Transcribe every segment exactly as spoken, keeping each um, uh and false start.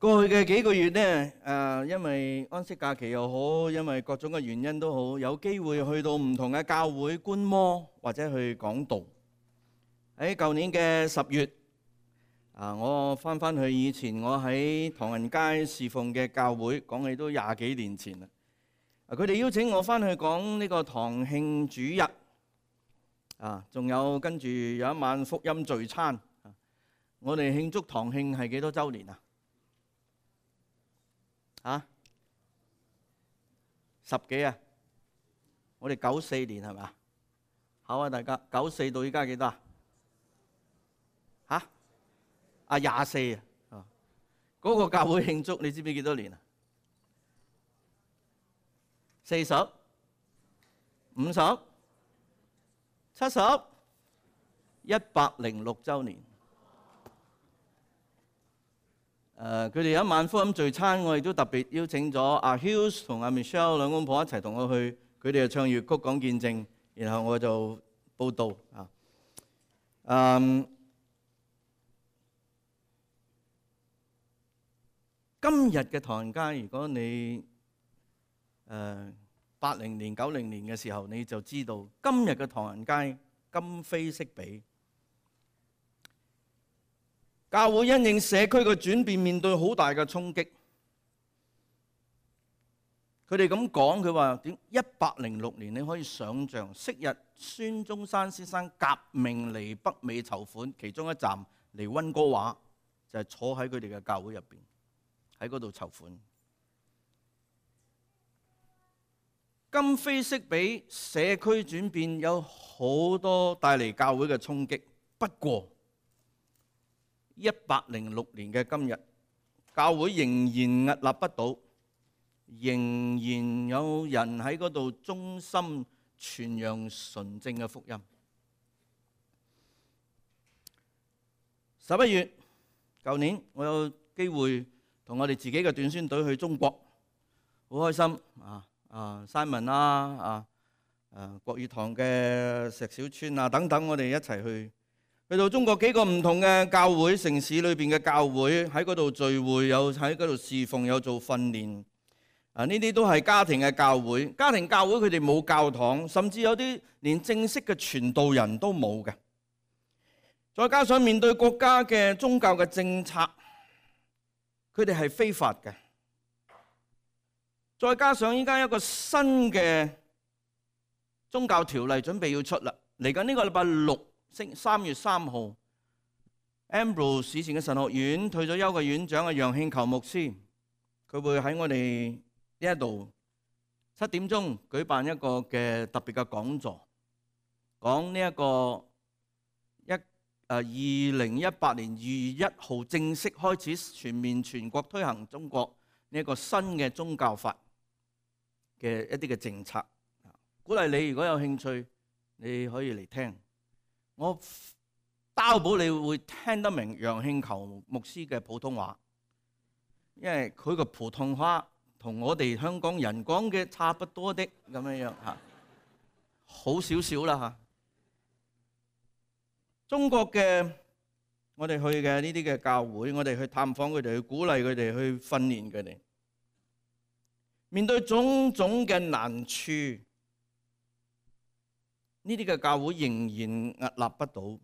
過去嘅幾個月呢，誒，因為安息假期又好，因為各種嘅原因都好，有機會去到唔同嘅教會觀摩或者去講道。喺舊年嘅十月，啊，我翻翻去以前我喺唐人街侍奉嘅教會，講起都廿幾年前啦。佢哋邀請我翻去講呢個堂慶主日，啊，仲有跟住有一晚福音聚餐。我哋慶祝堂慶係幾多週年啊？啊，十幾啊！我哋九四年係咪？好啊，大家九四到依家幾多啊？嚇？啊廿四啊！嗰個教會慶祝，你知唔知幾多年啊？四十、五十、七十、一百零六週年。誒，佢哋有一晚福音聚餐，我亦都特別邀請咗阿 Hughes 同阿 Michelle 兩公婆一齊同我去，佢哋就唱粵曲講見證，然後我就報道啊。嗯，今日嘅唐人街，如果你誒八零年、九零年嘅時候，你就知道今日嘅唐人街今非昔比。教會因應社區嘅轉變，面對好大嘅衝擊。佢哋咁講，佢話點一百零六年，你可以想像，昔日孫中山先生革命嚟北美籌款，其中一站嚟溫哥華，就係坐喺佢哋嘅教會入邊，喺嗰度籌款。今非昔比，社區轉變有好多帶嚟教會嘅衝擊。不過一百零六年嘅今日，教會仍然屹立不倒，仍然有人喺嗰度忠心傳揚純正嘅福音。十一月，舊年我有機會同我哋自己嘅短宣隊去中國，好開心啊！啊，Simon 啦，啊啊國語堂嘅石小川啊等等，我哋一齊去。去到中國幾個唔同嘅教會，城市裏邊嘅教會，喺嗰度聚會，有喺嗰度侍奉，有做訓練。啊，呢啲都係家庭嘅教會。家庭教會佢哋冇教堂，甚至有啲連正式嘅傳道人都冇嘅。再加上面對國家嘅宗教嘅政策，佢哋係非法嘅。再加上依家一個新嘅宗教條例準備要出啦，嚟緊呢個禮拜六。三月三號 Ambrose 以前嘅神學院退咗休嘅院長啊楊慶球牧師，佢會喺我哋呢一度七點鐘舉辦一個嘅特別嘅講座，講呢一個一誒二零一八年二月一號正式開始全面全國推行中國呢一個新嘅宗教法嘅一啲嘅政策，鼓勵你如果有興趣，你可以嚟聽。我擔保你會聽得明楊慶球牧師嘅普通話，因為佢個普通話同我哋香港人講嘅差不多的咁樣樣嚇，好少少啦嚇。中國嘅我哋去嘅呢啲嘅教會，我哋去探訪佢哋，去鼓勵佢哋，去訓練佢哋，面對種種嘅難處。呢啲嘅教會仍然屹立不倒，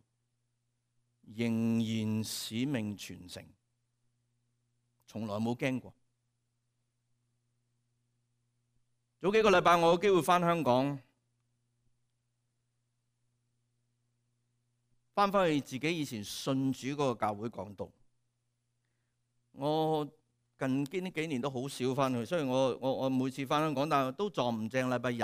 仍然使命傳承，從來冇驚過。早幾個禮拜我有機會返香港，返返去自己以前信主嗰個教會講道。我近呢幾年都好少返去，雖然我我我每次返香港，但係都撞唔正禮拜日。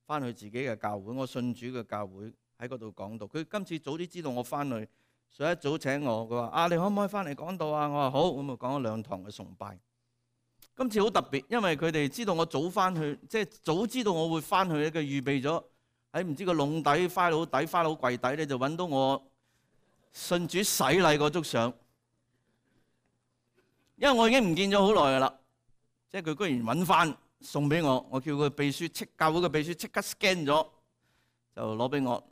翻去自己嘅教會，我信主嘅教會喺嗰度講道。佢今次早啲知道我翻去，所以一早請我，佢話：啊，你可唔可以翻嚟講道啊？我話好，咁就講咗兩堂嘅崇拜。今次好特別，因為佢哋知道我早翻去，即係早知道我會翻去咧，佢預備咗喺唔知個籠底、花佬底、花佬櫃底咧，就揾到我信主洗禮嗰張相。因為我已經唔見咗好耐噶啦，即係佢居然揾翻。送俾我，我叫佢秘書即教會嘅秘書即刻 scan 咗，就攞俾我。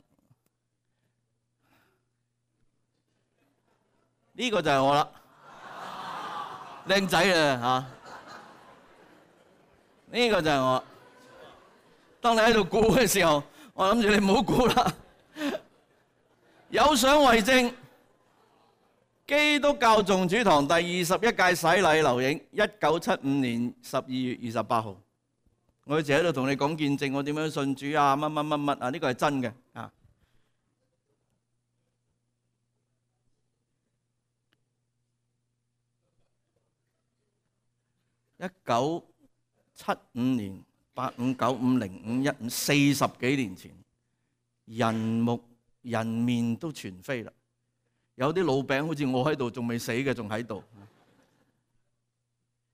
呢個就係我啦。靚仔啊嚇！呢個就係我。當你喺度估嘅時候，我諗住你唔好估啦。有相為證，基督教眾主堂第二十一屆洗禮留影，一九七五年十二月二十八號。我一直喺度同你講見證，我點樣信主啊？乜乜乜乜啊？呢個係真嘅啊！一九七五年八五九五零五一五，四十幾年前，人目人面都全非啦。有啲老餅好似我喺度，仲未死嘅，仲喺度。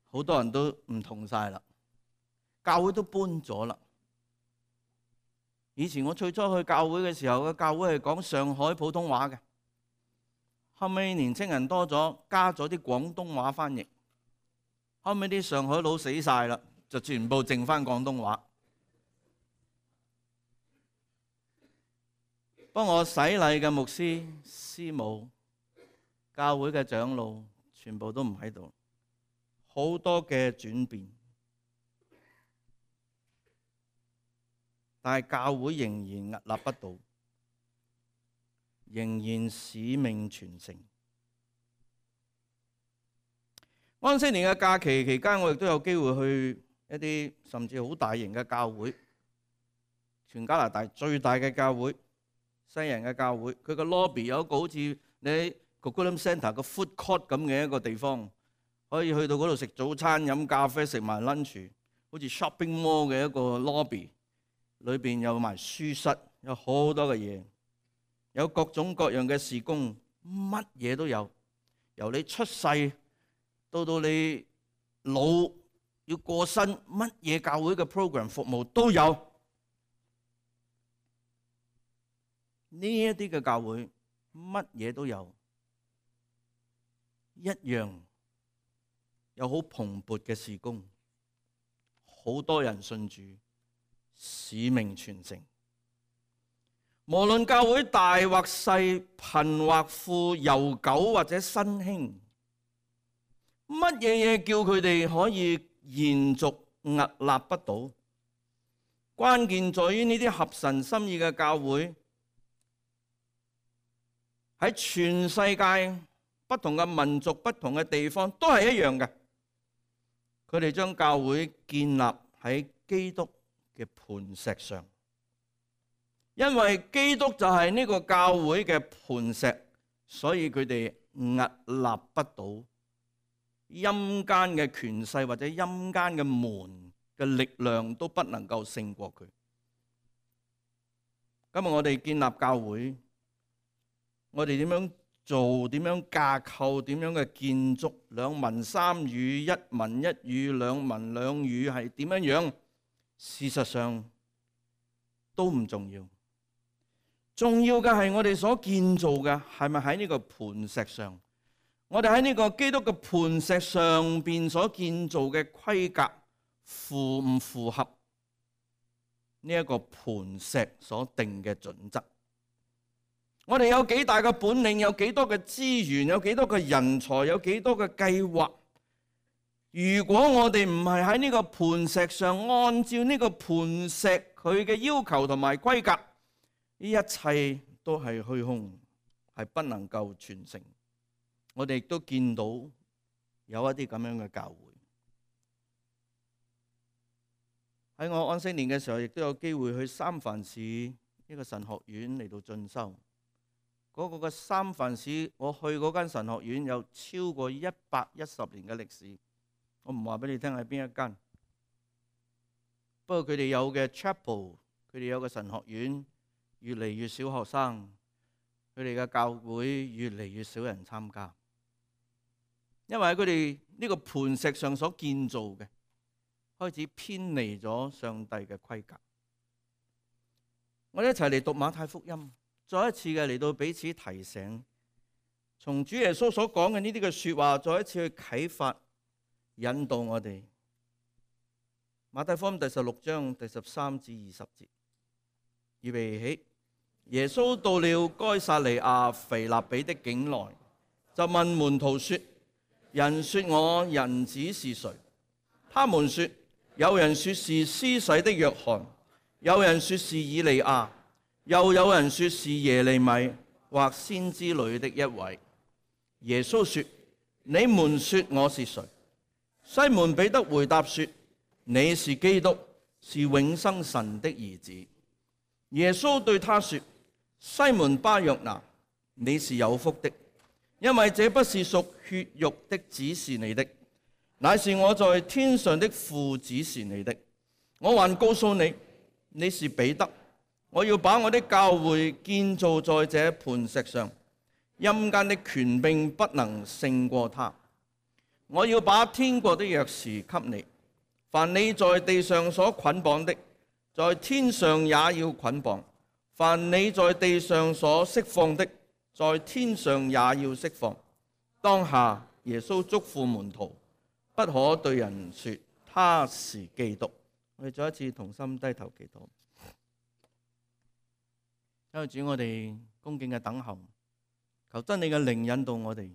好多人都唔同晒啦，教會都搬咗啦。以前我最初去教會嘅時候，個教會係講上海普通話嘅，後尾年青人多咗，加咗啲廣東話翻譯。後尾啲上海佬死晒啦，就全部剩翻廣東話。幫我洗禮嘅牧師、師母、教會嘅長老，全部都唔喺度，好多嘅轉變。但係教會仍然屹立不倒，仍然使命傳承。安息年嘅假期期間，我亦都有機會去一啲甚至好大型嘅教會，全加拿大最大嘅教會，西人嘅教會。佢個 lobby 有一個好似你喺 Coquitlam Centre 個 food court 咁嘅一個地方，可以去到嗰度食早餐、飲咖啡、食埋 lunch， 好似 shopping mall 嘅一個 lobby。裏邊有埋書室，有好多嘅嘢，有各種各樣嘅事工，乜嘢都有。由你出世到到你老要過身，乜嘢教會嘅 program 服務都有。呢一啲嘅教會乜嘢都有，一樣有好蓬勃嘅事工，好多人信主。使命傳承，無論教會大或細、貧或富、悠久或者新興，乜嘢嘢叫佢哋可以延續屹立不倒？關鍵在於呢啲合神心意嘅教會喺全世界不同嘅民族、不同嘅地方都係一樣嘅。佢哋將教會建立喺基督嘅磐石上，因為基督就係呢個教會嘅磐石，所以佢哋屹立不倒。陰間嘅權勢或者陰間嘅門嘅力量都不能夠勝過佢。今日我哋建立教會，我哋點樣做？點樣架構？點樣嘅建築？兩文三語，一文一語，兩文兩語係點樣樣？事實上都唔重要，重要嘅係我哋所建造嘅係咪喺呢個磐石上？我哋喺呢個基督嘅磐石上邊所建造嘅規格符唔符合呢一個磐石所定嘅準則？我哋有幾大嘅本領，有幾多嘅資源，有幾多嘅人才，有幾多嘅計劃？如果我哋唔係喺呢個磐石上，按照呢個磐石佢嘅要求同埋規格，呢一切都係虛空，係不能夠傳承。我哋亦都見到有一啲咁樣嘅教會。喺我安息年嘅時候，亦都有機會去三藩市一個神學院嚟到進修。嗰、那個嘅三藩市，我去嗰間神學院有超過一百一十年嘅歷史。我唔話俾你聽係邊一間，不過佢哋有嘅 chapel， 佢哋有嘅神學院越嚟越少學生，佢哋嘅教會越嚟越少人參加，因為佢哋呢個磐石上所建造嘅開始偏離咗上帝嘅規格。我哋一齊嚟讀馬太福音，再一次嘅嚟到彼此提醒，從主耶穌所講嘅呢啲嘅說話，再一次去啟發。引導我哋，馬太福音第十六章第十三至二十節，預備起。耶穌到了該撒利亞腓立比的境內，就問門徒說：人說我人子是誰？他們說，有人說是施洗的約翰，有人說是以利亞，又有人說是耶利米或先知裏的一位。耶穌說，你們說我是誰？西門彼得回答說，你是基督，是永生神的兒子。耶穌對他說，西門巴約拿，你是有福的，因為這不是屬血肉的指示你的，乃是我在天上的父指示你的。我還告訴你，你是彼得，我要把我的教會建造在這磐石上，陰間的權柄不能勝過他。我要把天國的鑰匙給你，凡你在地上所捆綁的，在天上也要捆綁；凡你在地上所釋放的，在天上也要釋放。當下耶穌囑咐門徒，不可對人說他是基督。我哋再一次同心低頭祈禱。因為主，我哋恭敬嘅等候，求真理嘅靈引導我哋，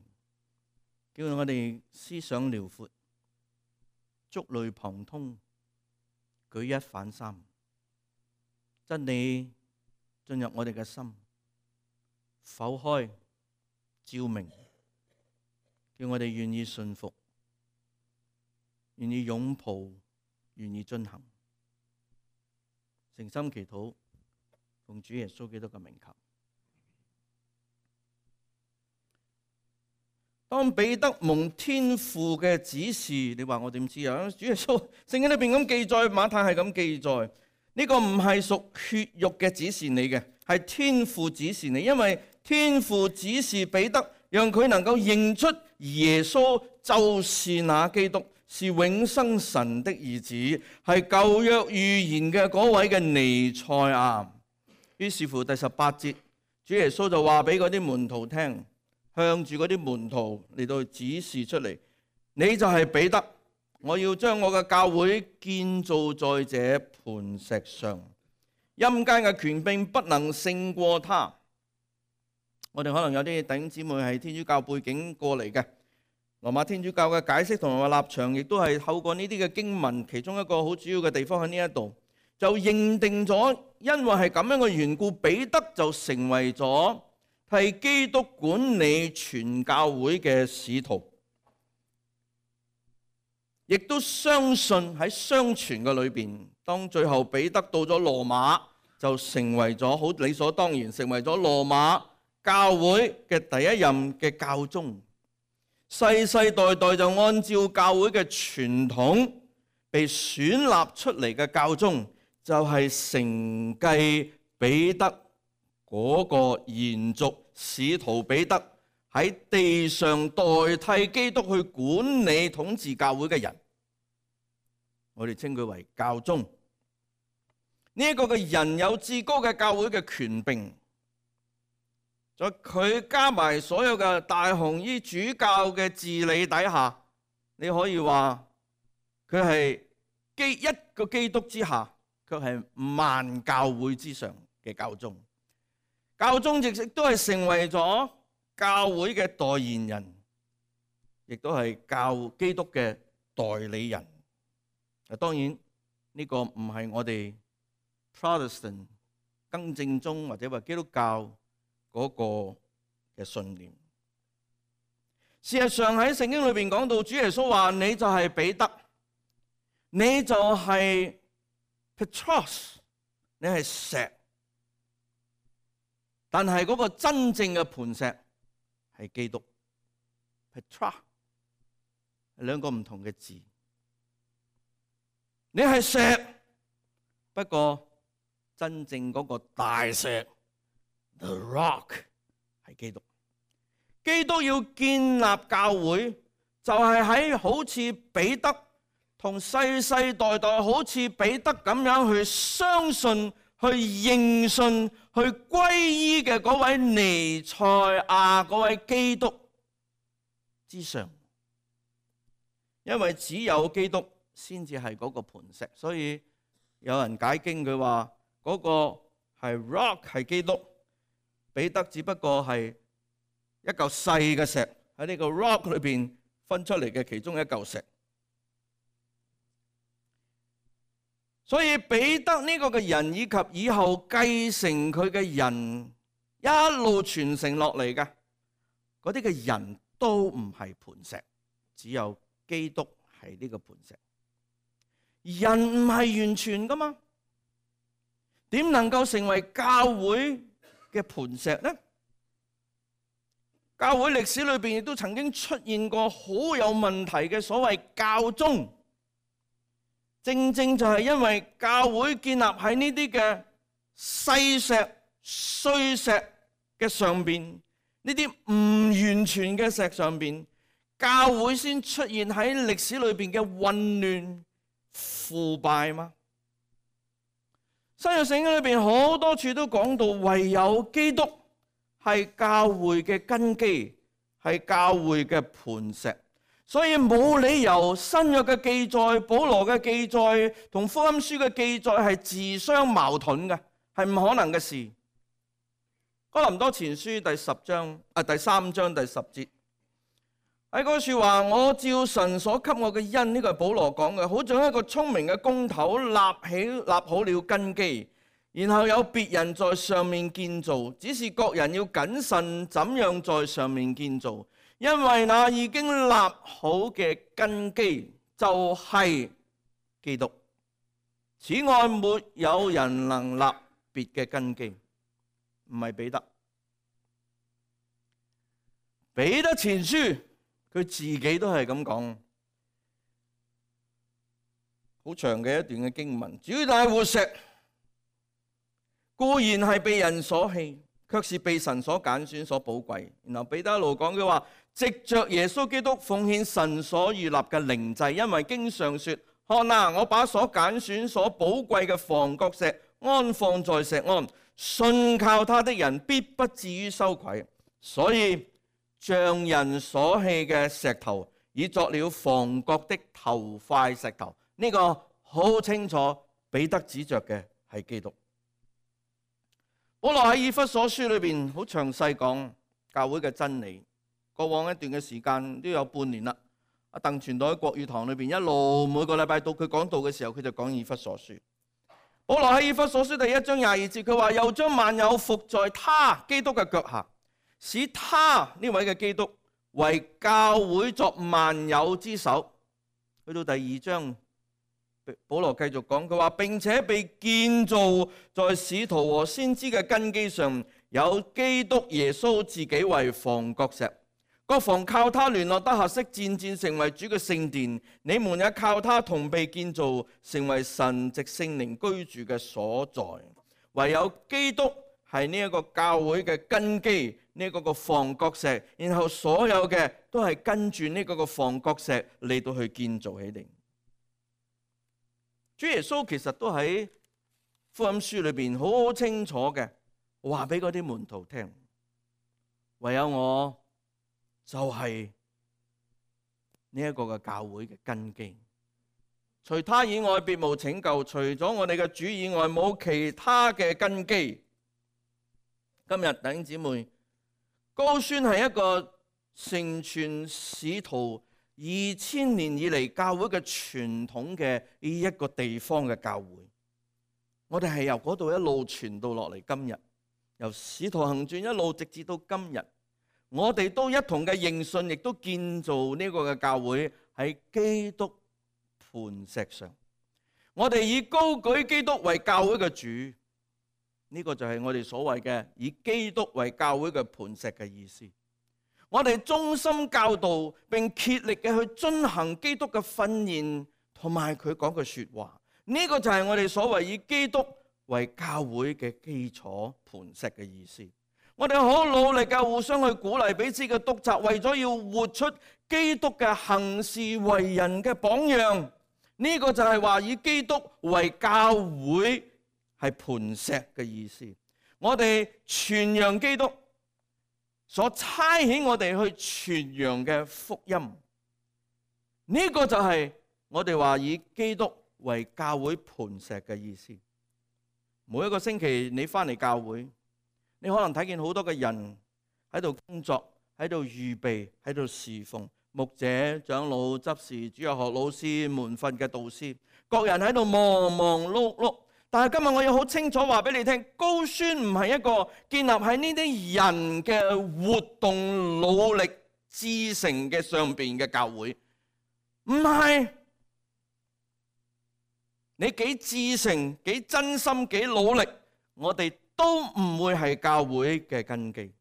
叫我哋思想遼闊，觸類旁通，舉一反三。真理進入我哋嘅心，剖開照明，叫我哋願意順服，願意擁抱，願意遵行。誠心祈禱，奉主耶穌基督嘅名求。當彼得蒙天父嘅指示，你話我點知啊？主耶穌聖經裏邊咁記載，馬太係咁記載，呢個唔係屬血肉嘅指示你嘅，係天父指示你，因為天父指示彼得，讓佢能夠認出耶穌就是那基督，是永生神的兒子，係舊約預言嘅嗰位嘅彌賽亞。於是乎第十八節，主耶穌就話俾嗰啲門徒聽，向住嗰啲門徒嚟到指示出嚟，你就係彼得，我要將我嘅教會建造在這磐石上，陰間嘅權柄不能勝過他。我哋可能有啲弟兄姊妹係天主教背景過嚟嘅，羅馬天主教嘅解釋同埋立場，亦都係透過呢啲嘅經文，其中一個好主要嘅地方喺呢一度，就認定咗，因為係咁樣嘅緣故，彼得就成為咗係基督管理全教會嘅使徒，亦都相信喺相傳嘅裏邊，當最後彼得到咗羅馬，就成為咗好理所當然，成為咗羅馬教會嘅第一任嘅教宗，世世代代就按照教會嘅傳統被選立出嚟嘅教宗，就係承繼彼得嗰個延續，使徒彼得喺地上代替基督去管理統治教會嘅人，我哋稱佢為教宗。呢一個嘅人有至高嘅教會嘅權柄，在佢加埋所有嘅大紅衣主教嘅治理底下，你可以話佢係基一個基督之下，卻係萬教會之上嘅教宗。教宗亦都係成為咗教會嘅代言人，亦都係教基督嘅代理人。當然呢個唔係我哋 Protestant 更正宗或者話基督教嗰個嘅信念。事實上喺聖經裏邊講到，主耶穌話你就係彼得，你就係 Petros， 你係石。但係嗰個真正嘅磐石係基督 Petra， 係兩個唔同嘅字。你係石，不過真正嗰個大石 The Rock 係基督。基督要建立教會，就係喺好似彼得同世世代代好似彼得咁樣去相信、去認信、去歸依嘅嗰位彌賽亞、嗰位基督之上。因為只有基督先至係嗰個磐石，所以有人解經佢話嗰個係 rock 係基督，彼得只不過係一嚿細嘅石喺呢個 rock 裏邊分出嚟嘅其中一嚿石。所以彼得呢個嘅人以及以後繼承佢嘅人一路傳承落嚟嘅嗰啲嘅人都唔係磐石，只有基督係呢個磐石。人唔係完全噶嘛，點能夠成為教會嘅磐石呢？教會歷史裏邊亦都曾經出現過好有問題嘅所謂教宗，正正就係因為教會建立喺呢啲嘅細石碎石嘅上邊，呢啲唔完全嘅石上邊，教會先出現喺歷史裏邊嘅混亂腐敗嘛。新約聖經裏邊好多處都講到，唯有基督係教會嘅根基，係教會嘅磐石，所以冇理由新約嘅記載、保羅嘅記載同福音書嘅記載係自相矛盾嘅，係唔可能嘅事。哥林多前書第十章啊第三章第十節喺嗰處話：我照神所給我嘅恩，呢個係保羅講嘅，好像一個聰明嘅工頭立起立好了根基，然後有別人在上面建造，只是各人要謹慎怎樣在上面建造，因為那已經立好嘅根基就係基督。此外沒有人能立別嘅根基。唔係彼得，彼得前書佢自己都係咁講，好長嘅一段嘅經文。主大活石固然係被人所棄，卻是被神所揀選、所寶貴。然後彼得一路講佢話：藉着耶穌基督奉獻神所預立嘅靈祭，因為經上說：看哪，我把所揀選、所寶貴嘅房角石安放在錫安。信靠他的人必不至於羞愧，所以像人所棄嘅石頭，已作了房角的頭塊石頭。呢、這個好清楚，彼得指着嘅係基督。保羅喺以弗所書裏邊好詳細講教會嘅真理。過往一段嘅時間都有半年啦。阿鄧傳道喺國語堂裏邊一路每個禮拜到佢講道嘅時候，佢就講以弗所書。保羅喺以弗所書第一章廿二節，佢話又將萬有伏在他基督嘅腳下，使他呢位嘅基督為教會作萬有之首。去到第二章，保羅繼續講，佢話並且被建造在使徒和先知嘅根基上，有基督耶穌自己為房角石。各房靠他聯絡得合適，漸漸成為主嘅聖殿。你們也靠他同被建造，成為神藉聖靈居住嘅所在。唯有基督係呢一個教會嘅根基，呢、這個個房角石，然後所有嘅都係跟住呢個個房角石嚟到去建造起嚟。主耶穌其實都喺福音書裏邊好清楚嘅話俾嗰啲門徒聽，唯有我就係呢一個嘅教會嘅根基，除他以外別無拯救，除咗我哋嘅主以外冇其他嘅根基。今日弟兄姊妹，高宣係一個承傳使徒二千年以嚟教會嘅傳統嘅呢一個地方嘅教會，我哋係由嗰度一路傳到落嚟今日，由使徒行傳一路直至到今日。我哋都一同嘅認信，亦都建造呢個嘅教會喺基督磐石上。我哋以高舉基督為教會嘅主，呢個就係我哋所謂嘅以基督為教會嘅磐石嘅意思。我哋忠心教導並竭力嘅去遵行基督嘅訓言同埋佢講嘅說話，呢個就係我哋所謂以基督為教會嘅基礎磐石嘅意思。我哋好努力嘅互相去鼓勵彼此嘅督責，為咗要活出基督嘅行事為人嘅榜樣。呢個就係話以基督為教會係磐石嘅意思。我哋傳揚基督所差遣我哋去傳揚嘅福音，呢個就係我哋話以基督為教會磐石嘅意思。每一個星期你翻嚟教會，你可能睇見好多嘅人喺度工作，喺度預備，喺度侍奉，牧者、長老、執事、主日學老師、門訓嘅導師，各人喺度忙忙碌碌。但係今日我要好清楚話俾你聽，高宣唔係一個建立喺呢啲人嘅活動、努力、至誠嘅上邊嘅教會，唔係。你幾至誠、幾真心、幾努力，我哋都唔會係教會嘅根基。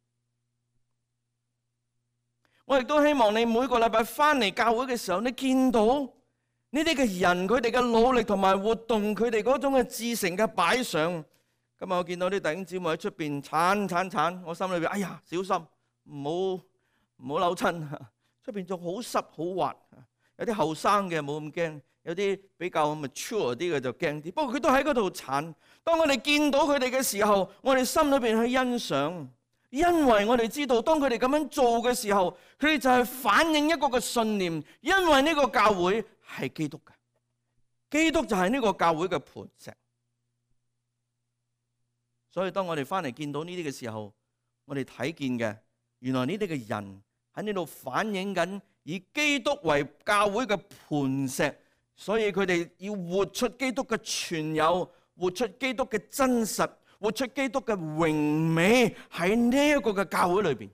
我亦都希望你每個禮拜翻嚟教會嘅時候，你見到呢啲嘅人，佢哋嘅努力同埋活動，佢哋嗰種嘅至誠嘅擺上。今日我見到啲弟兄姊妹喺出邊鏟鏟鏟，我心裏邊哎呀，小心唔好唔好扭親。出邊仲好濕好滑，有啲後生嘅冇咁驚，有啲比較 mature 啲嘅就驚啲。不過佢都喺嗰度鏟。當我哋見到佢哋嘅時候，我哋心裏邊去欣賞。因為我哋知道，當佢哋咁樣做嘅時候，佢哋就係反映一個嘅信念。因為呢個教會係基督嘅，基督就係呢個教會嘅磐石。所以當我哋翻嚟見到呢啲嘅時候，我哋睇見嘅，原來呢啲嘅人喺呢度反映緊以基督為教會嘅磐石，所以佢哋要活出基督嘅全有，活出基督嘅真實，活出基督嘅榮美喺呢一個嘅教會裏邊。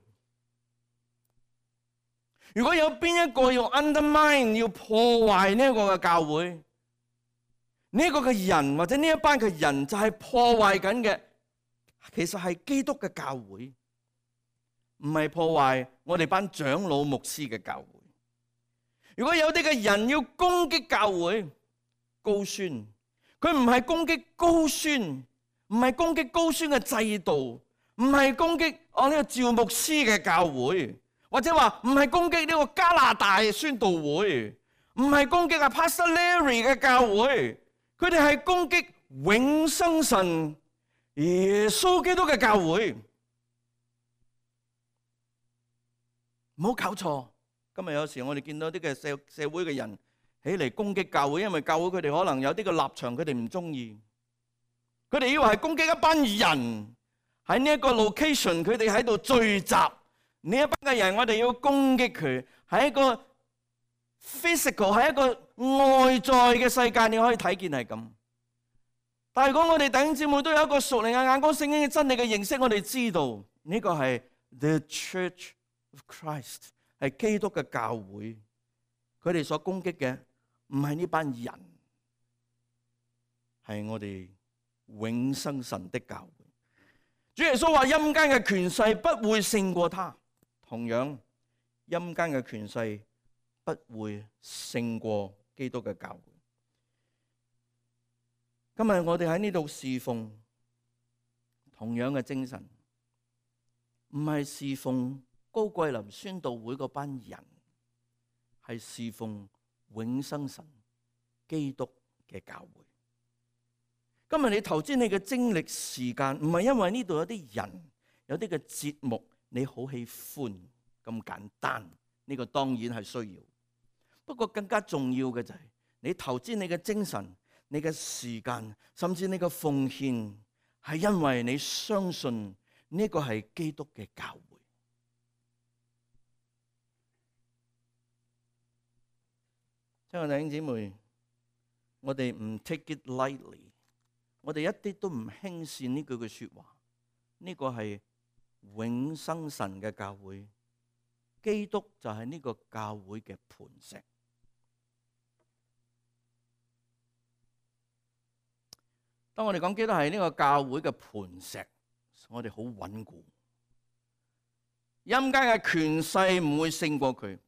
如果有邊一個要 undermine 要破壞呢一個嘅教會，呢一個嘅人或者呢一班嘅人就係破壞緊嘅，其實係基督嘅教會，唔係破壞我哋班長老牧師嘅教會。如果有啲嘅人要攻擊教會，高宣，佢唔係攻擊高宣。唔係攻擊高宣嘅制度，唔係攻擊我呢個趙牧師嘅教會，或者話唔係攻擊呢個加拿大宣道會，唔係攻擊阿 Pastor Larry 嘅教會，佢哋係攻擊永生神耶穌基督嘅教會。唔好搞錯，今日有時我哋見到啲嘅社社會嘅人起嚟攻擊教會，因為教會佢哋可能有啲嘅立場佢哋唔中意。佢哋以為係攻擊一班人喺呢一個 location， 佢哋喺度聚集。呢一班嘅人，我哋要攻擊佢，係一個 physical， 係一個外在嘅世界，你可以睇見係咁。但係如果我哋弟兄姊妹都有一個屬靈嘅眼光、聖經嘅真理嘅認識，我哋知道呢個係 The Church of Christ， 係基督嘅教會。佢哋所攻擊嘅唔係呢班人，係我哋永生神的教會。主耶穌話陰間嘅權勢不會勝過他，同樣陰間嘅權勢不會勝過基督嘅教會。今日我哋喺呢度侍奉同樣嘅精神，唔係侍奉高桂林宣道會嗰班人，係侍奉永生神基督嘅教會。今日你投資你嘅精力時間，唔係因為呢度有啲人有啲嘅節目你好喜歡咁簡單，呢個當然係需要。不過更加重要嘅就係你投資你嘅精神、你嘅時間，甚至你嘅奉獻，係因為你相信呢個係基督嘅教會。親愛弟兄姊妹，我哋唔 take it lightly。我哋一啲都唔輕視呢句嘅說話，呢個係永生神嘅教會，基督就係呢個教會嘅磐石。當我哋講基督係呢個教會嘅磐石，我哋好穩固，陰間嘅權勢唔會勝過佢，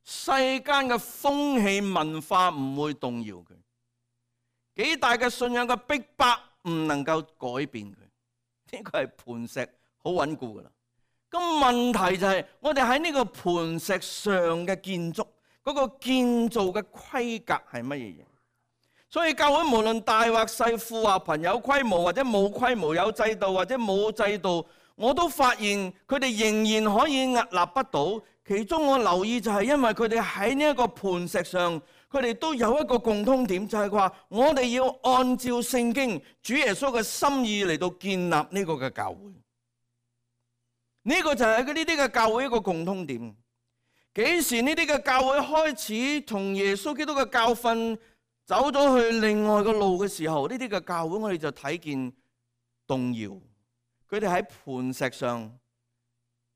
世間嘅風氣文化唔會動搖佢。幾大嘅信仰嘅逼迫唔能夠改變佢，呢個係磐石，好穩固噶啦。咁問題就係我哋喺呢個磐石上嘅建築，嗰個建造嘅規格係乜嘢嘢？所以教會無論大或細、富或貧、有規模或者冇規模、有制度或者冇制度，我都發現佢哋仍然可以屹立不倒。其中我留意就係因為佢哋喺呢一個磐石上。佢哋都有一個共通點，就係話我哋要按照聖經主耶穌嘅心意嚟到建立呢個嘅教會。呢個就係呢啲嘅教會一個共通點。幾時呢啲嘅教會開始同耶穌基督嘅教訓走咗去另外個路嘅時候，呢啲嘅教會我哋就睇見動搖。佢哋喺磐石上，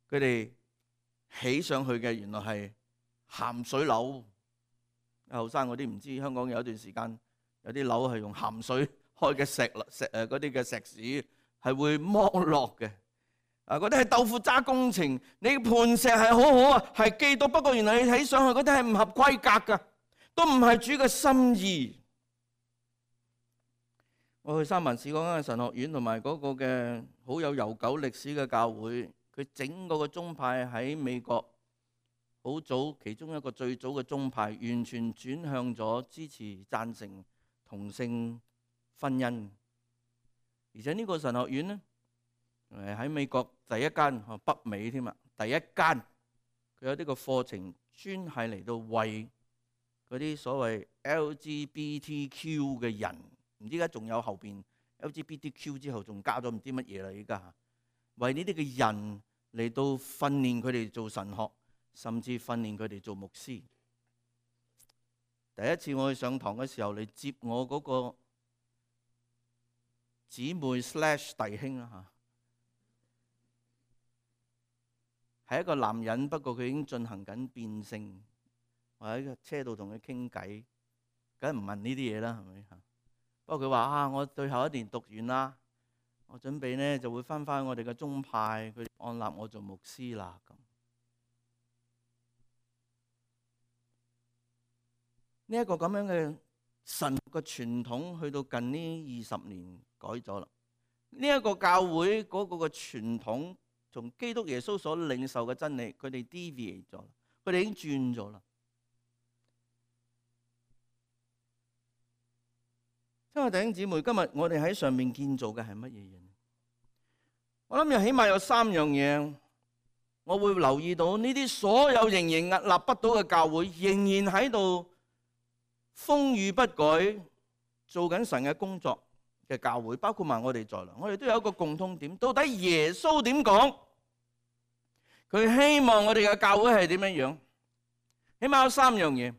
佢哋起上去嘅原來係鹹水樓。後生嗰啲唔知，香港有一段時間有啲樓係用鹹水開嘅石石誒嗰啲嘅石屎係會剝落嘅。啊，嗰啲係豆腐渣工程。你磐石係好好啊，係基督，不過原來你睇上去嗰啲係唔合規格㗎，都唔係主嘅心意。我去三藩市嗰間神學院同埋嗰個嘅好有悠久歷史嘅教會，佢整個個宗派喺美國好早，其中一個最早嘅宗派，完全轉向咗支持贊成同性婚姻。而且呢個神學院呢，誒喺美國第一間，北美添啊，第一間佢有呢個課程專係嚟到為嗰啲所謂 L G B T Q 嘅人，唔知而家仲有後邊 L G B T Q 之後仲加咗唔知乜嘢啦，依家為呢啲嘅人嚟到訓練佢哋做神學，甚至訓練佢哋做牧師。第一次我去上堂嘅時候，嚟接我嗰個姊妹 slash 弟兄啦嚇，係一個男人，不過佢已經進行緊變性。我喺個車度同佢傾偈，梗係唔問呢啲嘢啦，係咪嚇？不過佢話啊，我最後一年讀完啦，我準備呢就會翻返我哋嘅宗派，佢按立我做牧師啦咁。呢一個咁樣嘅神學嘅傳統，去到近呢二十年改咗啦。呢一個教會嗰個嘅傳統，從基督耶穌所領受嘅真理，佢哋 deviate 咗，佢哋已經轉咗啦。親愛弟兄姊妹，今日我哋喺上面建造嘅係乜嘢嘢？我諗又起碼有三樣嘢，我會留意到呢啲所有仍然屹立不倒嘅教會，仍然喺度風雨不改，做緊神嘅工作嘅教會，包括埋我哋在內，我哋都有一個共通點。到底耶穌點講？佢希望我哋嘅教會係點樣樣？起碼有三樣嘢。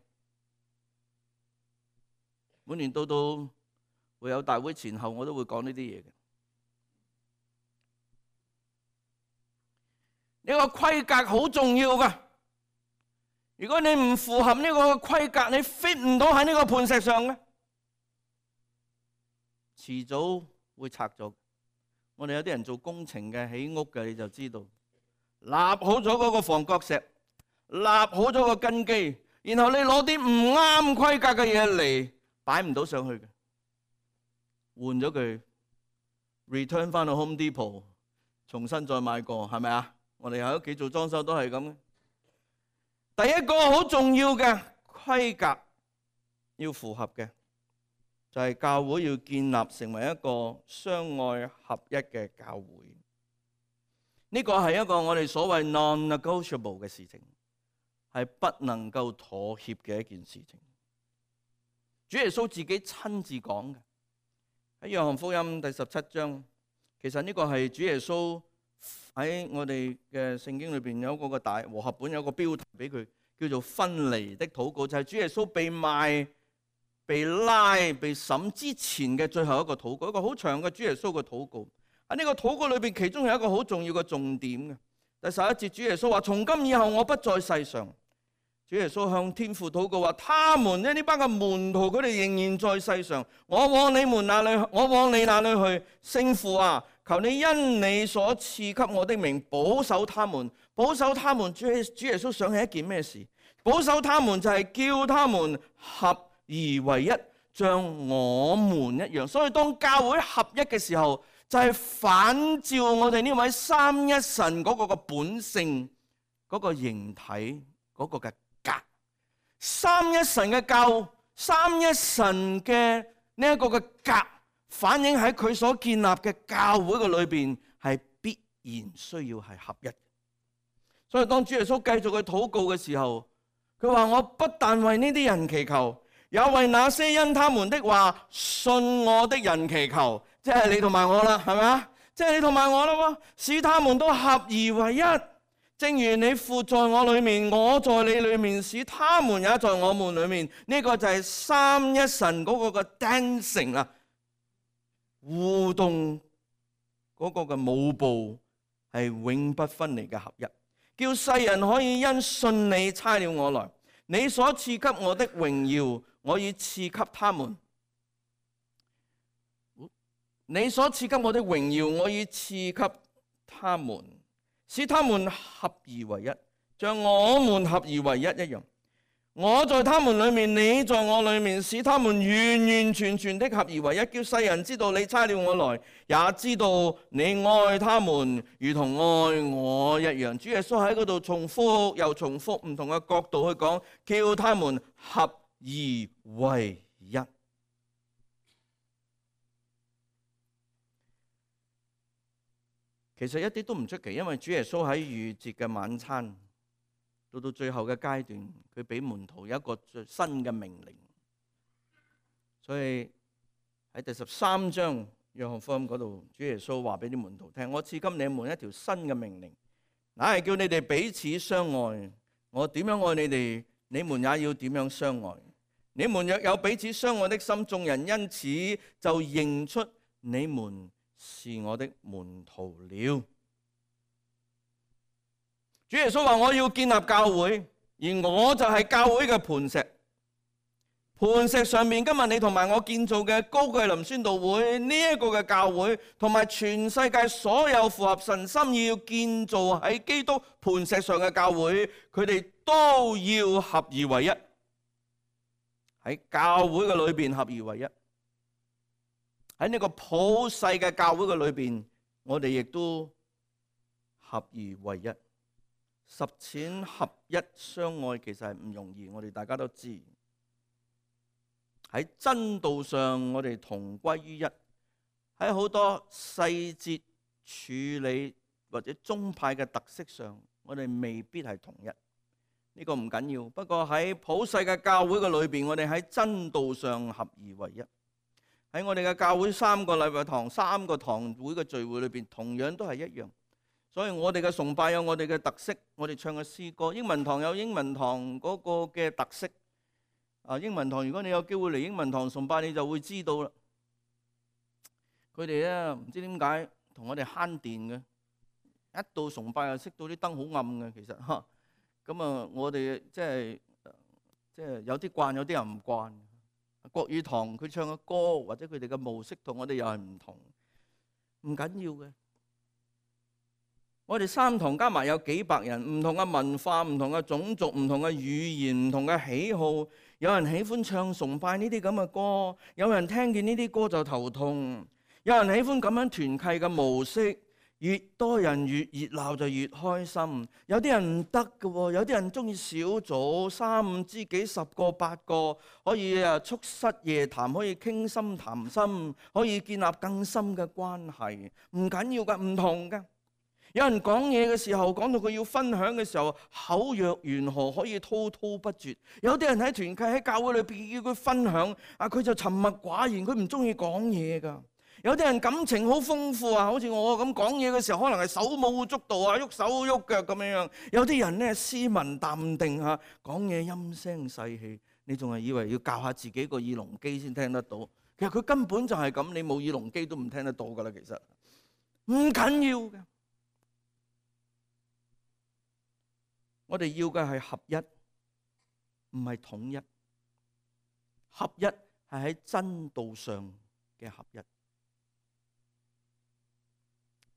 每年到到會有大會前後，我都會講呢啲嘢嘅。呢個規格好重要噶。如果你唔符合呢個規格，你 fit 唔到喺呢個磐石上嘅，遲早會拆咗。我哋有啲人做工程嘅、起屋嘅，你就知道，立好咗嗰個防角石，立好咗個根基，然後你攞啲唔啱規格嘅嘢嚟擺唔到上去嘅，換咗佢 return 翻到 Home Depot， 重新再買過，係咪啊？我哋喺屋企做裝修都係咁嘅。第一個好重要嘅規格要符合嘅，就係教會要建立成為一個相愛合一嘅教會。呢個係一個我哋所謂 non-negotiable 嘅事情，係不能夠妥協嘅一件事情。主耶穌自己親自講嘅，喺約翰福音第十七章，其實呢個係主耶穌喺我哋嘅聖經裏邊有嗰個大和合本有個標題俾佢，叫做分離的禱告，就係主耶穌被賣、被拉、被審之前嘅最後一個禱告，一個好長嘅主耶穌嘅禱告。喺呢個禱告裏邊，其中有一個好重要嘅重點嘅。第十一節，主耶穌話：從今以後我不在世上。主耶穌向天父禱告話：他們呢呢班嘅門徒，佢哋仍然在世上，我往你們那裏，我往你那裏去。聖父啊，求你因你所賜給我的名保守他們，保守他們。主主耶穌想起一件咩事？保守他們就係叫他們合而為一，像我們一樣。所以當教會合一嘅時候，就係反照我哋呢位三一神嗰個嘅本性，嗰個形體，嗰個嘅格。三一神嘅教，三一神嘅呢一個嘅格，反映喺佢所建立嘅教會嘅裏邊，係必然需要係合一。所以當主耶穌繼續去禱告嘅時候，佢話：我不但為呢啲人祈求，也為那些因他們的話信我的人祈求。即係你同埋我啦，係咪啊？即係你同埋我啦，使他們都合而為一。正如你父在我裏面，我在你裏面，使他們也在我們裏面。呢、這個就係三一神嗰個嘅 dancing 啦，互動嗰個嘅舞步係永不分離嘅合一，叫世人可以因信你差了我來。你所賜給我的榮耀，我已賜給他們。你所賜給我的榮耀，我已賜給他們，使他們合而為一，像我們合而為一一樣。我在他們裏面，你在我裏面，使他們完完全全的合而為一，叫世人知道你差了我來，也知道你愛他們如同愛我一樣。主耶穌喺嗰度重複又重複，唔同嘅角度去講，叫他們合而為一。其實一啲都唔出奇，因為主耶穌喺逾節嘅晚餐，到到最後嘅階段，佢俾門徒有一個最新嘅命令。所以喺第十三章約翰福音嗰度，主耶穌話俾啲門徒聽：我賜給你們一條新嘅命令，乃係叫你哋彼此相愛。我點樣愛你哋，你們也要點樣相愛。你們若有彼此相愛的心，眾人因此就認出你們是我的門徒了。主耶穌話：我要建立教會，而我就係教會嘅磐石。磐石上面，今日你同埋我建造嘅高貴林宣道會呢一個嘅教會，同埋全世界所有符合神心意要建造喺基督磐石上嘅教會，佢哋都要合而為一。喺教會嘅裏邊合而為一。喺呢個普世嘅教會嘅裏邊，我哋亦都合而為一。實踐合一相愛其實係唔容易，我哋大家都知。喺真道上，我哋同歸於一；喺好多細節處理或者宗派嘅特色上，我哋未必係同一。呢個唔緊要，不過喺普世嘅教會嘅裏邊，我哋喺真道上合而為一。喺我哋嘅教會三個禮拜堂、三個堂會嘅聚會裏邊，同樣都係一樣。所以我哋嘅崇拜有我哋嘅特色，我哋唱嘅詩歌，英文堂有英文堂嗰個嘅特色。啊，英文堂如果你有機會嚟英文堂崇拜，你就會知道啦。佢哋咧唔知點解同我哋慳電嘅，一到崇拜就熄到啲燈好暗嘅，其實嚇。咁啊，我哋即係即係有啲慣，有啲人唔慣。國語堂佢唱嘅歌或者佢哋嘅模式同我哋又係唔同，唔緊要嘅。我哋三堂加埋有幾百人，唔同嘅文化、唔同嘅種族、唔同嘅語言、唔同嘅喜好。有人喜歡唱崇拜呢啲咁嘅歌，有人聽見呢啲歌就頭痛。有人喜歡咁樣團契嘅模式，越多人越熱鬧就越開心。有啲人唔得嘅，有啲人中意小組，三五知己、十個八個，可以啊促膝夜談，可以傾心談心，可以建立更深嘅關係。唔緊要㗎，唔同㗎。有人講嘢嘅時候，講到佢要分享嘅時候，口若懸河，可以滔滔不絕。有啲人喺團契喺教會裏邊叫佢分享，啊佢就沉默寡言，佢唔中意講嘢㗎。有啲人感情好豐富啊，好似我咁講嘢嘅時候，可能係手舞足蹈啊，喐手喐腳咁樣樣。有啲人咧斯文淡定嚇，講嘢陰聲細氣，你仲係以為要教下自己個耳聾機先聽得到？其實佢根本就係咁，你冇耳聾機都唔聽得到㗎啦。其實唔緊要嘅。我哋要嘅係合一，唔係統一。合一係喺真道上嘅合一。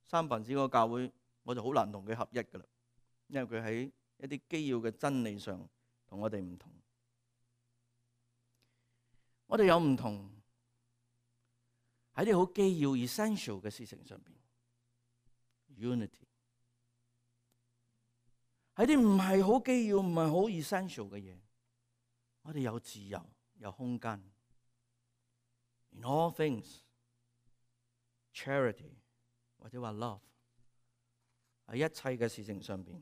三藩市個教會，我就好難同佢合一噶啦，因為佢喺一啲基要嘅真理上同我哋唔同。我哋有唔同喺啲好基要 essential 嘅事情上邊 ，unity。喺啲唔係好基要、唔係好 essential 嘅嘢，我哋有自由、有空間。In all things, charity 或者話 love 喺一切嘅事情上邊，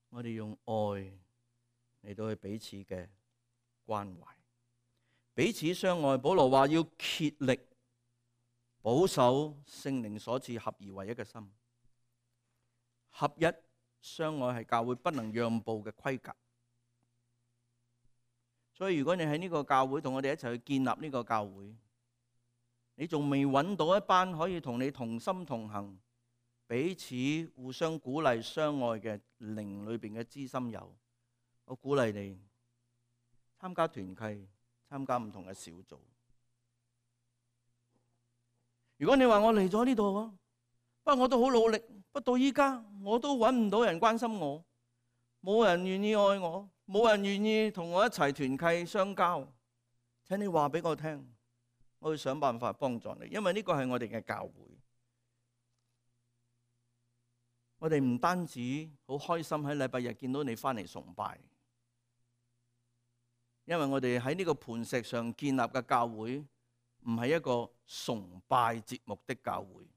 我哋用愛嚟到去彼此嘅關懷，彼此相愛。保羅話要竭力保守聖靈所賜合而為一嘅心，合一。相愛係教會不能讓步嘅規格。所以如果你喺呢個教會同我哋一齊去建立呢個教會，你仲未揾到一班可以同你同心同行、彼此互相鼓勵相愛嘅靈裏邊嘅知心友，我鼓勵你參加團契，參加唔同嘅小組。如果你話我嚟咗呢度啊，不過我都好努力，不過到依家我都揾唔到人關心我，冇人願意愛我，冇人願意同我一齊團契相交，請你話俾我聽，我會想辦法幫助你，因為呢個係我哋嘅教會。我哋唔單止好開心喺禮拜日見到你翻嚟崇拜，因為我哋喺呢個磐石上建立嘅教會唔係一個崇拜節目的教會，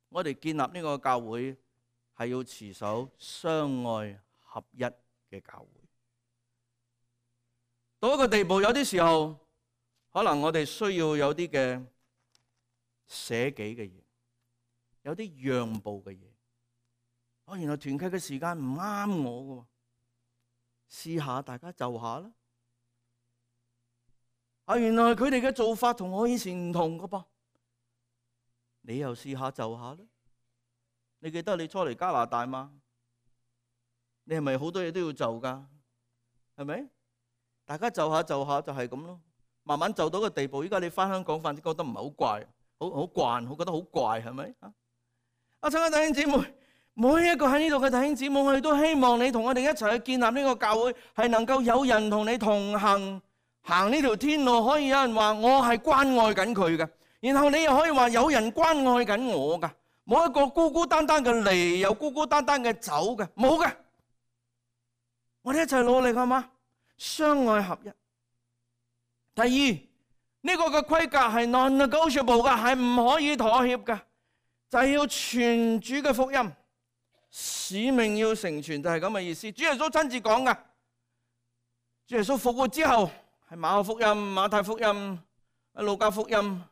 我哋建立呢個教會係要持守相愛合一嘅教會。到一個地步，有啲時候可能我哋需要有啲嘅捨己嘅嘢，有啲讓步嘅嘢。哦，原來團契嘅時間唔啱我嘅，試下大家就下啦。啊，原來佢哋嘅做法同我以前唔同嘅噃，你又試下就下啦。你記得你初嚟加拿大嗎？你係咪好多嘢都要就噶？係咪？大家就下就下就係咁咯。慢慢就到個地步，依家你翻香港反正覺得唔係好怪，好好慣，好覺得好怪，係咪？啊，親愛弟兄姊妹。每一個喺呢度嘅弟兄姊妹，我哋都希望你同我哋一齊去建立呢個教會，係能夠有人同你同行，行呢條天路，可以有人話我係關愛緊佢嘅，然後你又可以話有人關愛緊我噶，冇一個孤孤單單嘅嚟，又孤孤單單嘅走嘅，冇嘅。我哋一齊努力好嗎？相愛合一。第二，呢個嘅規格係 non-negotiable 嘅，係唔可以妥協嘅，就係要傳主嘅福音。使命要成全，就係咁嘅意思。主耶穌親自講噶，主耶穌復活之後，係馬可福音、馬太福音、路加福音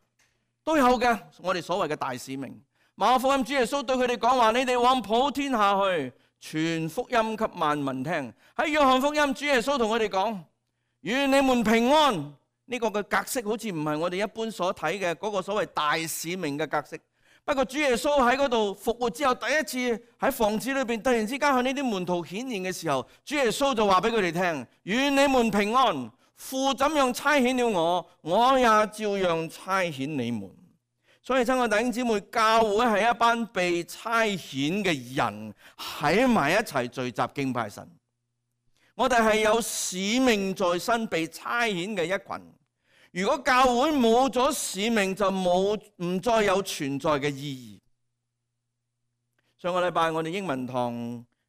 都有嘅。我哋所謂嘅大使命，馬可福音主耶穌對佢哋講話：你哋往普天下去，傳福音給萬民聽。喺約翰福音，主耶穌同佢哋講：願你們平安。呢個嘅格式好似唔係我哋一般所睇嘅嗰個所謂大使命嘅格式。不過主耶穌喺嗰度復活之後，第一次喺房子裏邊突然之間向呢啲門徒顯現嘅時候，主耶穌就話俾佢哋聽：願你們平安，父怎樣差遣了我，我也照樣差遣你們。所以親愛弟兄姊妹，教會係一班被差遣嘅人喺埋一齊聚集敬拜神。我哋係有使命在身，被差遣嘅一群。如果教會冇咗使命，就冇唔再有存在嘅意義。上個禮拜我哋英文堂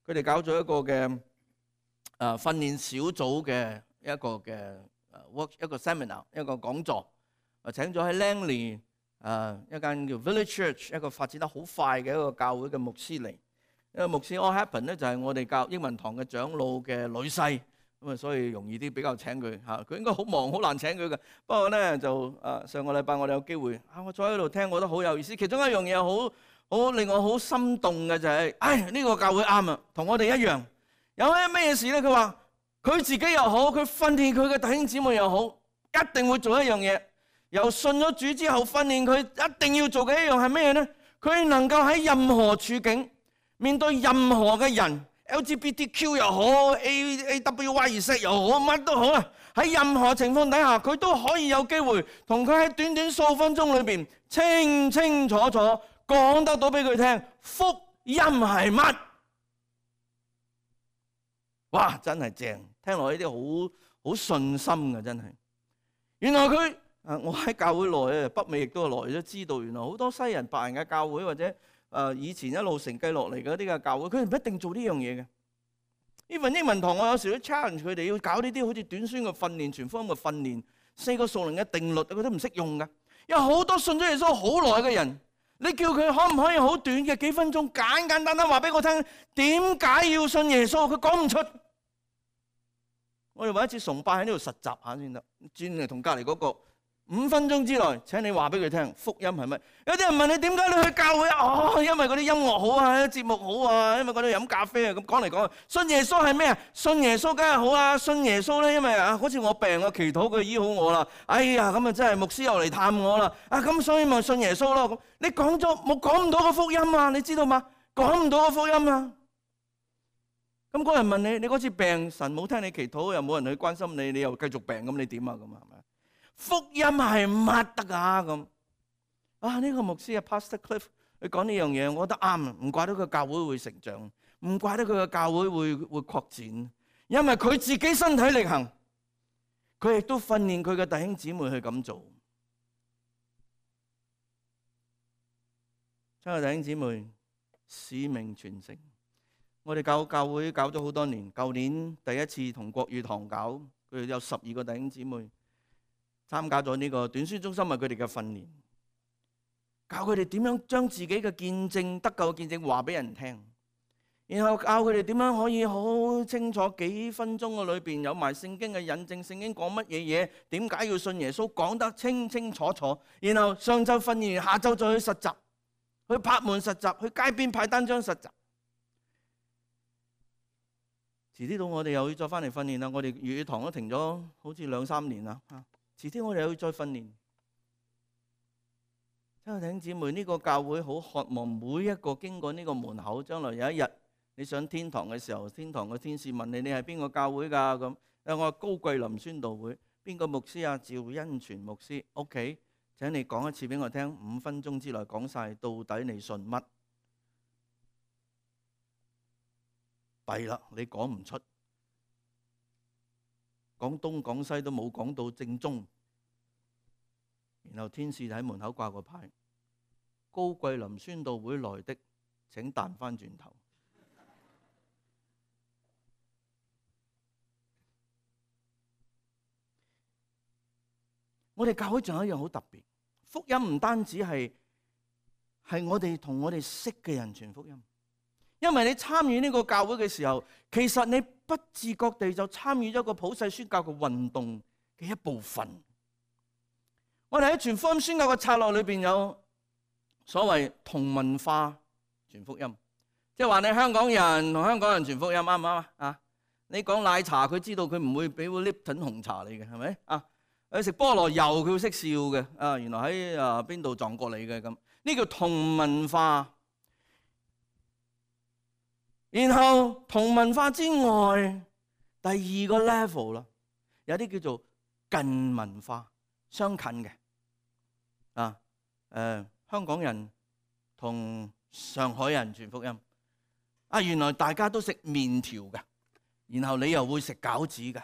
佢哋搞咗一個嘅誒訓練小組嘅一個嘅誒 work 一個 seminar 一個講座，啊請咗喺 Langley 誒一間叫 Village Church 一個發展得好快嘅一個教會嘅牧師嚟。因為牧師 All Happen 咧就係我哋教英文堂嘅長老嘅女婿。咁啊，所以容易啲比較請佢嚇，佢應該好忙，好難請佢嘅。不過咧就誒上個禮拜我哋有機會啊，我坐喺度聽，我覺得好有意思。其中一樣嘢好好令我好心動嘅就係，唉呢個教會啱啊，同我哋一樣。有啲咩事咧？佢話佢自己又好，佢訓練佢嘅弟兄姊妹又好，一定會做一樣嘢。由信咗主之後訓練佢一定要做嘅一樣係咩咧？佢能夠喺任何處境面對任何嘅人。L G B T Q 又好 ，A A W Y Z 又好，乜都好啊！喺任何情況底下，佢都可以有機會同佢喺短短數分鐘裏邊清清楚楚講得到俾佢聽，福音係乜？哇！真係正，聽落呢啲好好信心嘅，真係。原來佢啊，我喺教會內啊，北美亦都係來咗知道，原來好多西人白人嘅教會或者。誒以前一路承繼落嚟嗰啲嘅教會，佢唔一定做呢樣嘢嘅。呢份英文堂我有時都 challenge 佢哋要搞呢啲好似短宣嘅訓練、傳福音嘅訓練、四個屬靈嘅定律，佢都唔識用㗎。有好多信咗耶穌好耐嘅人，你叫佢可唔可以好短嘅幾分鐘簡簡單單話俾我聽點解要信耶穌？佢講唔出。我哋揾一次崇拜喺呢度實習下先得，轉嚟同隔離嗰個五分鐘之內，請你話俾佢聽福音係乜？有啲人問你點解你去教會啊？哦，因為嗰啲音樂好啊，節目好啊，因為嗰度飲咖啡啊，咁講嚟講去，信耶穌係咩啊？信耶穌梗係好啊！信耶穌咧，因為啊，好似我病我祈禱佢醫好我啦。哎呀，咁啊真係牧師又嚟探我啦。啊，咁所以咪信耶穌咯。咁你講咗冇講唔到個福音啊？你知道嗎？講唔到個福音啊！咁嗰人問你，你嗰次病，神冇聽你祈禱，又冇人去關心你，你又繼續病，咁你點啊？咁係咪？福音係乜得㗎？咁啊呢個牧師啊 Pastor Cliff 佢講呢樣嘢，我覺得啱，唔怪得佢教會會成長，唔怪得佢嘅教會會會擴展，因為佢自己身體力行，佢亦都訓練佢嘅弟兄姊妹去咁做。親愛的弟兄姊妹，使命傳承，我哋教教會搞咗好多年，舊年第一次同國語堂搞，佢哋有十二個弟兄姊妹參加咗呢個短宣中心，係佢哋嘅訓練，教佢哋點樣將自己嘅見證、得救嘅見證話俾人聽，然後教佢哋點樣可以好清楚幾分鐘嘅裏邊有埋聖經嘅引證，聖經講乜嘢嘢，點解要信耶穌，講得清清楚楚。然後上晝訓練，下晝再去實習，去拍門實習，去街邊派單張實習。遲啲到我哋又要再翻嚟訓練啦。我哋粵語堂都停咗好似兩三年啦。遲啲我哋又要再訓練。親愛弟兄姊妹，呢個教會好渴望每一個經過呢個門口，將來有一日你上天堂嘅時候，天堂嘅天使問你：你係邊個教會㗎？咁誒，我係高桂林宣道會。邊個牧師啊？趙恩全牧師。OK，請你講一次俾我聽，五分鐘之內講晒，到底你信乜？弊啦，你講唔出。講東講西都冇講到正宗，然後天使喺門口掛個牌：高桂林宣道會來的請彈翻轉頭。我哋教會仲有一樣好特別，福音唔單止係係我哋同我哋識嘅人傳福音，因為你參與呢個教會嘅時候，其實你不自覺地就參與咗個普世宣教嘅運動嘅一部分。我哋喺傳福音宣教嘅策略裏邊有所謂同文化傳福音，即係話你香港人同香港人傳福音啱唔啱啊？你講奶茶，佢知道佢唔會俾個 Lipton 紅茶你嘅，係咪啊？你食菠蘿油，佢會識笑嘅啊！原來喺啊邊度撞過你嘅咁，呢叫同文化。然後同文化之外，第二個 level 啦，有啲叫做近文化，相近嘅啊。誒、呃，香港人同上海人傳福音啊，原來大家都食麵條嘅，然後你又會食餃子嘅，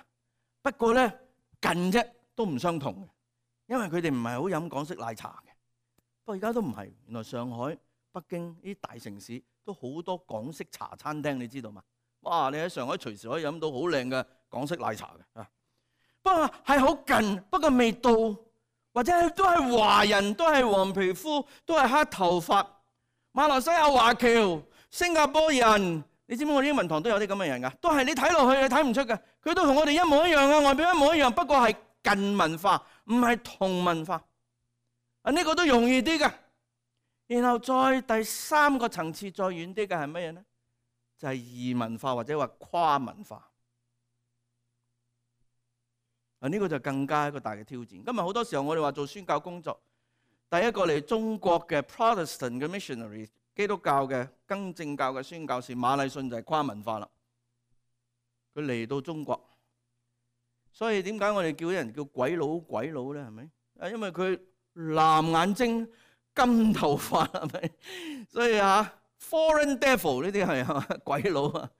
不過咧近啫，都唔相同嘅，因為佢哋唔係好飲港式奶茶嘅。不過而家都唔係，原來上海、北京呢啲大城市都好多港式茶餐廳，你知道嘛？哇！你喺上海隨時可以飲到好靚嘅港式奶茶嘅啊。不過係好近，不過未到，或者都係華人，都係黃皮膚，都係黑頭髮。馬來西亞華僑、新加坡人，你知唔知我哋英文堂都有啲咁嘅人㗎？都係你睇落去你睇唔出嘅，佢都同我哋一模一樣嘅，外表一模一樣，不過係近文化，唔係同文化。啊，呢個都容易啲嘅。然後再第三個層次再遠啲嘅係乜嘢呢？就係異文化或者話跨文化。啊，呢個就更加一個大嘅挑戰。今日好多時候我哋話做宣教工作，第一個嚟中國嘅 Protestant 嘅 missionary 基督教嘅更正教嘅宣教士馬禮遜就係跨文化啦。佢嚟到中國，所以點解我哋叫啲人叫鬼佬鬼佬咧？係咪？啊，因為佢藍眼睛、金頭髮，係咪？所以啊 ，foreign devil 呢啲係啊鬼佬啊，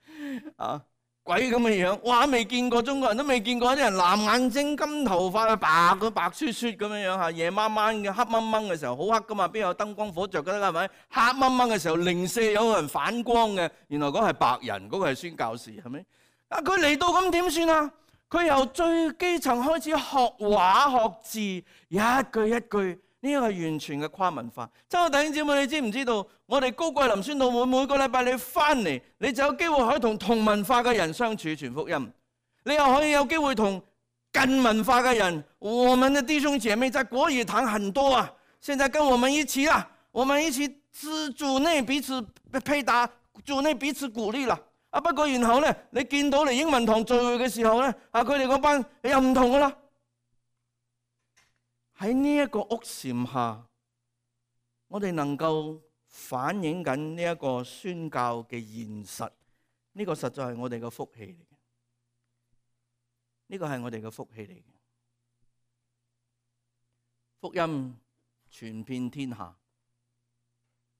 啊鬼咁嘅樣，哇！未見過，中國人都未見過啲人藍眼睛、金頭髮啊，白個白雪雪咁樣樣嚇，夜晚晚嘅黑掹掹嘅時候好黑噶嘛，邊有燈光火著㗎啦？係咪？黑掹掹嘅時候零舍有人反光嘅，原來嗰係白人，嗰個係宣教士，係咪？啊，佢嚟到咁點算啊？佢由最基層開始學畫學字，一句一句。呢個係完全嘅跨文化。親愛弟兄姊妹，你知唔知道？我哋高桂林宣道會每個禮拜你翻嚟，你就有機會可以同同文化嘅人相處傳福音。你又可以有機會同近文化嘅人，我們的弟兄姐妹在國語堂很多啊，現在跟我們一起啊，我們一起自主內彼此配搭，主內彼此鼓勵啦。啊，不過然後咧，你見到嚟英文堂聚會嘅時候咧，啊，佢哋嗰班又唔同噶啦。喺呢一個屋檐下，我哋能夠反映緊呢一個宣教嘅現實，呢個實在係我哋嘅福氣嚟嘅。呢個係我哋嘅福氣嚟嘅。福音傳遍天下，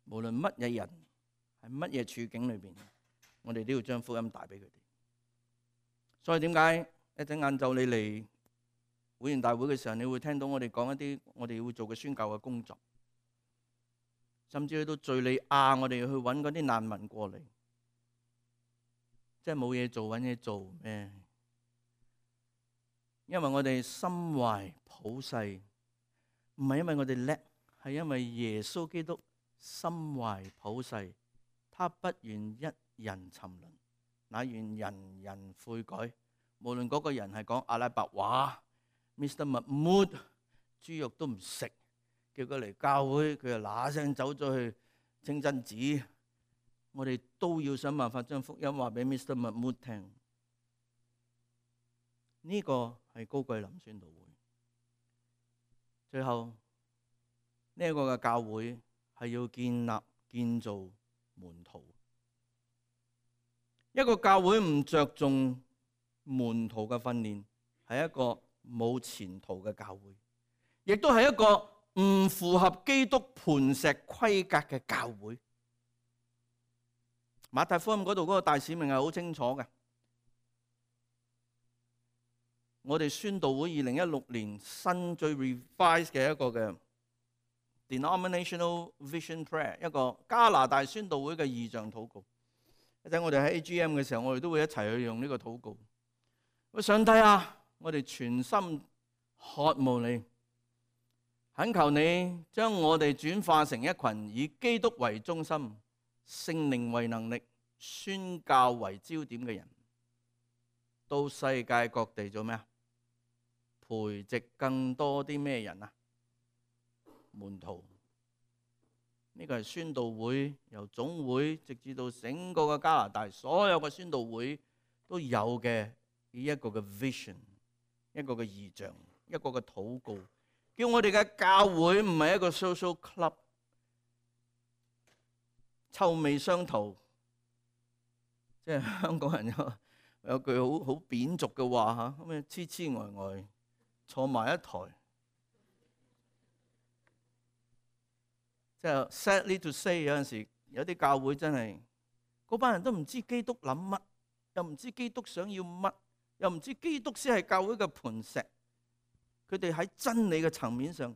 無論乜嘢人喺乜嘢處境裏邊，我哋都要將福音帶俾佢哋。所以點解一陣晏晝你嚟會員大會嘅時候，你會聽到我哋講一啲我哋會做嘅宣教嘅工作，甚至去到敘利亞，我哋去揾嗰啲難民過嚟，即係冇嘢做揾嘢做咩？因為我哋心懷普世，唔係因為我哋叻，係因為耶穌基督心懷普世，他不願一人沉淪，乃願人人悔改。無論嗰個人係講阿拉伯話 ，Mister Mahmood 豬肉都唔食，叫佢嚟教會，佢就嗱聲走咗去清真寺。我哋都要想辦法將福音話俾 Mister Mahmood 聽。呢個係高桂林宣道會。最後呢一個嘅教會係要建立建造門徒。一個教會唔着重門徒嘅訓練，係一個冇前途嘅教會，亦都係一個唔符合基督磐石規格嘅教會。馬太福音嗰度嗰個大使命係好清楚嘅。我哋宣道會二零一六年新最 revise 嘅一個嘅 denominational vision prayer， 一個加拿大宣道會嘅異象禱告。一陣我哋喺 A G M 嘅時候，我哋都會一齊去用呢個禱告。喂，上帝啊，我哋全心渴慕你，懇求你將我哋轉化成一群以基督為中心、聖靈為能力、宣教為焦點嘅人，到世界各地做咩啊？培植更多啲咩人啊？門徒。呢個係宣道會由總會直至到整個嘅加拿大所有嘅宣道會都有嘅呢一個嘅 vision， 一個嘅異象，一個嘅禱告，叫我哋嘅教會唔係一個 social club， 臭味相投。即係香港人有有句好好扁俗嘅話嚇，咁樣痴痴呆呆坐埋一台。即係 sadly to say， 有陣時有啲教會真係嗰班人都唔知基督諗乜，又唔知基督想要乜，又唔知基督先係教會嘅磐石。佢哋喺真理嘅層面上，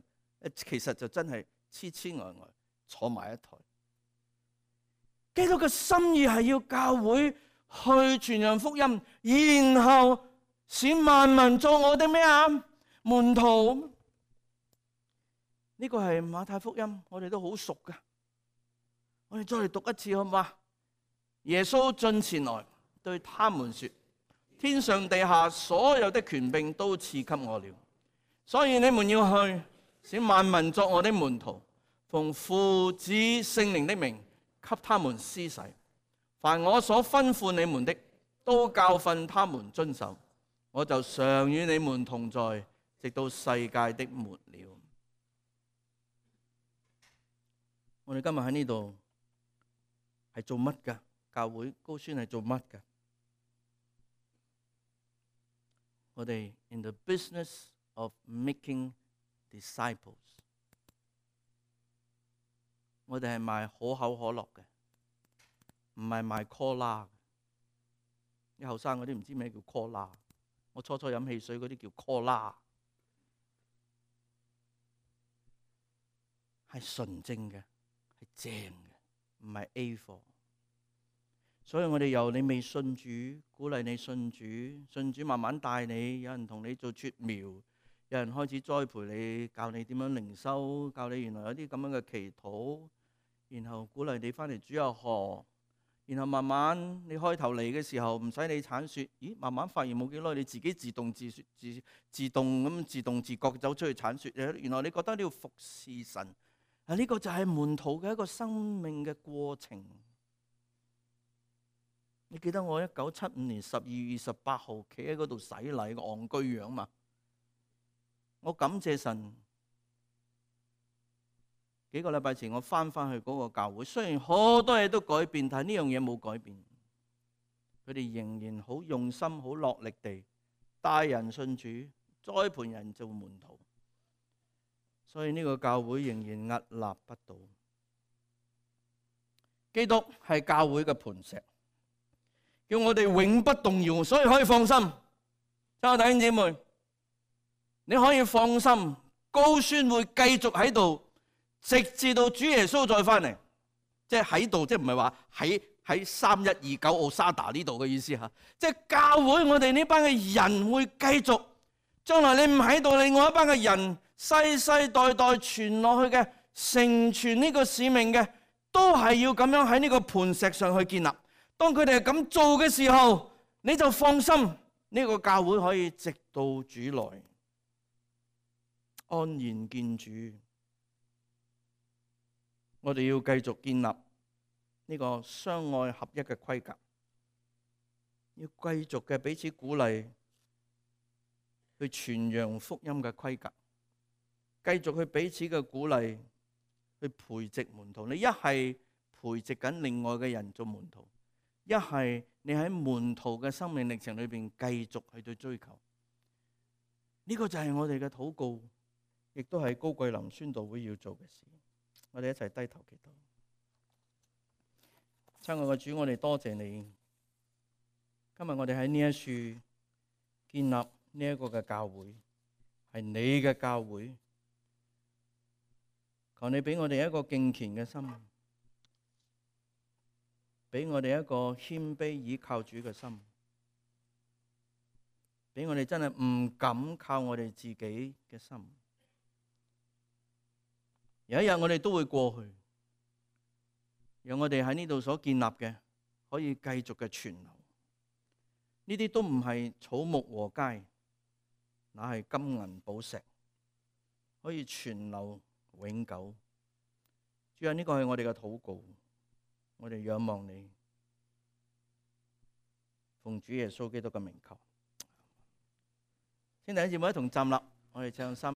其實就真係痴痴呆呆坐埋一台。基督嘅心意係要教會去傳揚福音，然後使萬民做我哋咩啊？門徒。呢個係馬太福音，我哋都好熟噶。我哋再嚟讀一次好嘛？耶穌進前來對他們說：天上地下所有的權柄都賜給我了，所以你們要去，使萬民作我的門徒，奉父子聖靈的名給他們施洗。凡我所吩咐你們的，都教訓他們遵守。我就常與你們同在，直到世界的末了。我哋今日喺呢度係做乜噶？教會高宣係做乜噶？我哋 in the business of making disciples。我哋係賣可口可樂嘅，唔係賣 Cola。啲後生嗰啲唔知咩叫 Cola。我初初飲汽水嗰啲叫 Cola， 係純正嘅。正嘅，唔係 A 貨。所以我哋由你未信主，鼓勵你信主，信主慢慢帶你，有人同你做撮苗，有人開始栽培你，教你點樣靈修，教你原來有啲咁樣嘅祈禱，然後鼓勵你翻嚟主日學，然後慢慢你開頭嚟嘅時候唔使你鏟雪，咦？慢慢發現冇幾耐，你自己自動自自自動咁自動自覺走出去鏟雪。原來你覺得你要服侍神啊？呢個就係門徒嘅一個生命嘅過程。你記得我一九七五年十二月二十八號企喺嗰度洗禮個戇居樣嘛？我感謝神。幾個禮拜前我翻返去嗰個教會，雖然好多嘢都改變，但係呢樣嘢冇改變。佢哋仍然好用心、好落力地帶人信主、栽培人做門徒。所以呢個教會仍然屹立不倒。基督係教會嘅磐石，叫我哋永不動搖，所以可以放心。親愛弟兄姊妹，你可以放心，高宣會繼續喺度，直至到主耶穌再翻嚟。即係喺度，即係唔係話喺喺三一二九奧沙達呢度嘅意思吓。即係教會，我哋呢班嘅人會繼續。將來你唔喺度，另外一班嘅人世世代代傳落去嘅，成全呢個使命嘅，都係要咁樣喺呢個磐石上去建立。當佢哋係咁做嘅時候，你就放心，呢個教會可以直到主來，安然見主。我哋要繼續建立呢個相愛合一嘅規格，要繼續嘅彼此鼓勵，去傳揚福音嘅規格，繼續去彼此嘅鼓勵，去培植門徒。你一係培植緊另外嘅人做門徒，一係你喺門徒嘅生命歷程裏邊繼續去對追求。呢、這個就係我哋嘅禱告，亦都係高桂林宣道會要做嘅事。我哋一齊低頭祈禱。親愛嘅主，我哋多謝你。今日我哋喺呢一處建立呢一個嘅教會，係你嘅教會。求你俾我哋一個敬虔嘅心，俾我哋一個謙卑倚靠主嘅心，俾我哋真係唔敢靠我哋自己嘅心。有一日我哋都會過去，讓我哋喺呢度所建立嘅可以繼續嘅存留。呢啲都唔係草木禾秸，乃係金銀寶石，可以存留永久。主啊，呢個係我哋嘅禱告，我哋仰望你，奉主耶穌基督嘅名求。請弟兄姊妹一同站立，我哋唱三。